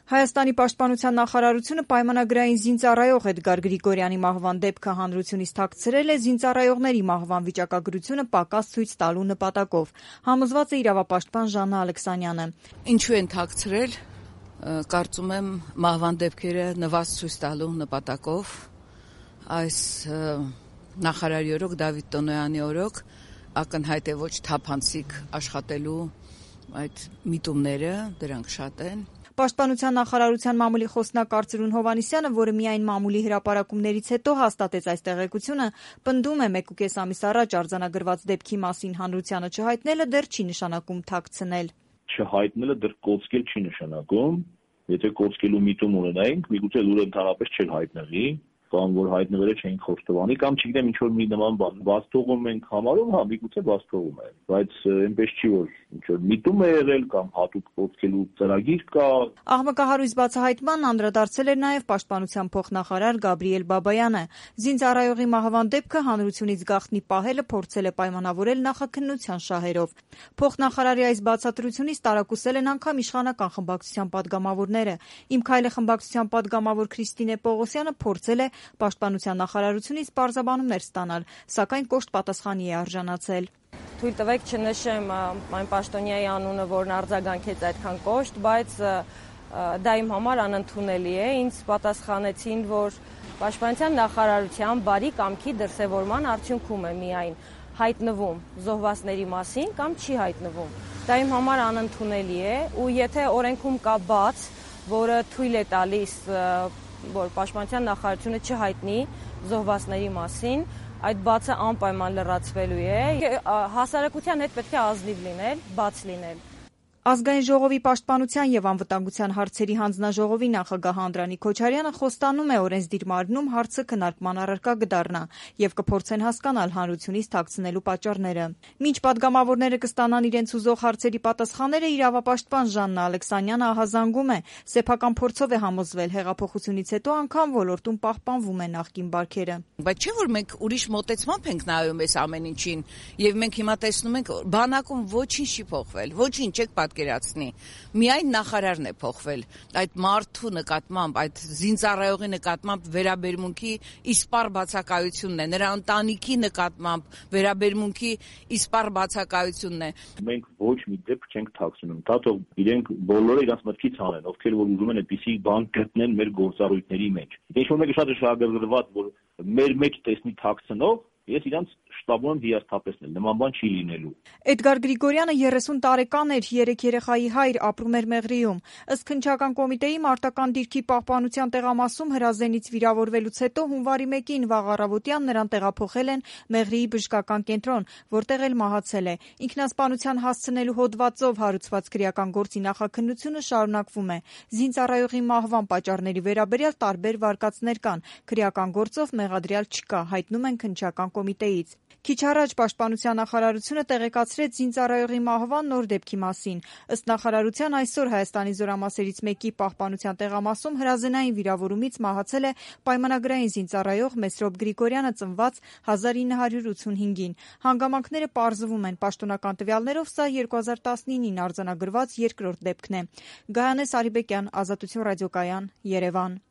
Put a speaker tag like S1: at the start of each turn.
S1: Հայաստանի պաշտպանության նախարարությունը պայմանագրային զինծառայող Էդգար Գրիգորյանի մահվան դեպքը հանրությունից թաքցրել է զինծառայողների մահվան վիճակագրությունը պակաս ցույց տալու նպատակով, համոզված է իրավապաշտպան Ժաննա Ալեքսանյանը։
S2: Ինչու են թաքցրել, կարծում եմ մահվան դեպքերը նվազ ցույց տալու նպատակով, այս նախարարի օրոք, Դավիթ Տոնոյանի օրոք ակնհայտ է ոչ թափանցիկ աշխատելու այդ միտումները, դրանք շատ են։
S1: Պաշտպանության նախարարության մամուլի խոսնակ Արծրուն Հովհաննիսյանը, որը միայն մամուլի հրապարակումներից հետո հաստատեց այս տեղեկությունը, պնդում է 1.5 ամիս առաջ արձանագրված դեպքի մասին հանրությանը չհայտնելը դեռ չի նշանակում թաքցնել։
S3: Չհայտնելը դեռ կոծկել չի նշանակում, եթե կոծկելու միտում ունենայինք, միգուցե լուրը ընդհանրապես չէր հայտնվի, կամ որ հայտնվելը չէին խոստովանի, կամ չգիտեմ ինչ որ մի նման բան բաց թողում ենք համարում, հա, միգուցե բաց թողում է, բայց այնպես չի որ ինչ որ միտում է եղել կամ հատուկ կոծկելու ծրագիր կա։
S1: Աղմկահարույց բացահայտման անդրադարձել էր նաև պաշտպանության փոխնախարար Գաբրիել Բաբայանը։ Զինծառայողի մահվան դեպքը հանրությունից գաղտնի պահելը փորձել է պայմանավորել նախաքննության շահերով։ Փոխնախարարի այս բացատրությունից տարակուսել են անգամ իշխանական խմբակցության падգամավորները։ Իմ քայլը խմբակցության падգամավոր Քրիստինե Պողոսյանը փորձել է պաշտպանության նախարարությունից պարզաբանումներ ստանալ, սակայն կոշտ պատասխանի է արժանացել։
S4: Թույլ տվեք չնշեմ այն պաշտոնյայի անունը, որն արձագանքեց այդքան կոշտ, բայց դա իմ համար անընդունելի է։ Ինձ պատասխանեցին, որ պաշտպանության նախարարության բարի կամքի դրսևորման արդյունքում է միայն հայտնվում զոհվածների մասին կամ չի հայտնվում։ Դա իմ համար անընդունելի է, ու եթե օրենքում կա բաց, որը թույլ է տալիս, որ պաշտպանության նախարարությունը չհայտնի զոհվածների մասին, այդ բացը անպայման լրացվելու է։ Հասարակության հետ պետք է ազնիվ լինել, բաց լինել։
S1: Ազգային ժողովի պաշտպանության եւ անվտանգության հարցերի հանձնաժողովի նախագահ Անդրանիկ Քոչարյանը խոստանում է օրենսդիր մարմնում հարցը քննարկման առարկա կդառնա եւ կփորձեն հասկանալ հանրությունից թաքցնելու պատճառները։ Մինչ падգամավորները կստանան իրենց ուզող հարցերի պատասխանները, իրավապաշտպան Ժաննա Ալեքսանյանը ահազանգում է, սեփական փորձով է համոզվել հեղափոխությունից հետո անգամ ոլորտում պահպանվում է նախկին բարքերը։
S2: Բայց չէ՞ որ մենք ուրիշ մոտեցմամբ ենք նայում այս ամեն ինչին եւ մենք հիմա տեսնում ենք բանակում ոչինչ չի փոխվել, ոչինչ չեք պատկերացնի։ Միայն նախարարն է փոխվել։ Այդ մարդու նկատմամբ, այդ զինծառայողի նկատմամբ վերաբերմունքի իսպառ բացակայությունն է, նրա ընտանիքի նկատմամբ վերաբերմունքի իսպառ բացակայությունն է։
S3: Մենք ոչ մի դեպք չենք թաքցնում։ Դա թող իրենք բոլորը իրենց մտքից անեն, ովքեր որ ուզում են այդպիսի բան գտնեն մեր գործառույթների մեջ։ Ինչ որ մեկը շատ է շահագրգռված, որ մեր մեջ տեսնի թաքցնող, ես իրանց շտաբում եմ հիասթափեցնել, նման բան չի լինելու։
S1: Էդգար Գրիգորյանը 30 տարեկան էր, 3 երեխայի հայր, ապրում էր Մեղրիում։ Ըստ քննչական կոմիտեի մարտական դիրքի պահպանության տեղամասում հրազենից վիրավորվելուց հետո հունվարի 1-ին վաղ առավոտյան նրան տեղափոխել են Մեղրիի բժշկական կենտրոն, որտեղ էլ մահացել է։ Ինքնասպանության հասցնելու հոդվածով հարուցված քրեական գործի նախաքննությունը շարունակվում է։ Զինծառայողի մահվան պատճառների վերաբերյալ տարբեր վարկածներ կան։ Քրեական գործով մեղադրյալ չկա, հայտնում են քննչական կոմիտեից։ Քիչ առաջ պաշտպանության նախարարությունը տեղեկացրեց զինծառայողի մահվան նոր դեպքի մասին։ Ըստ նախարարության այսօր Հայաստանի զորամասերից մեկի պահպանության տեղամասում հրազենային վիրավորումից մահացել է պայմանագրային զինծառայող Մեսրոպ Գրիգորյանը, ծնված 1985-ին։ Հանգամանքները պարզվում են, պաշտոնական տվյալներով սա 2019-ին արձանագրված երկրորդ դեպքն է։ Գայանե Սարիբեկյան, Ազատություն ռադիոկայան, Երևան։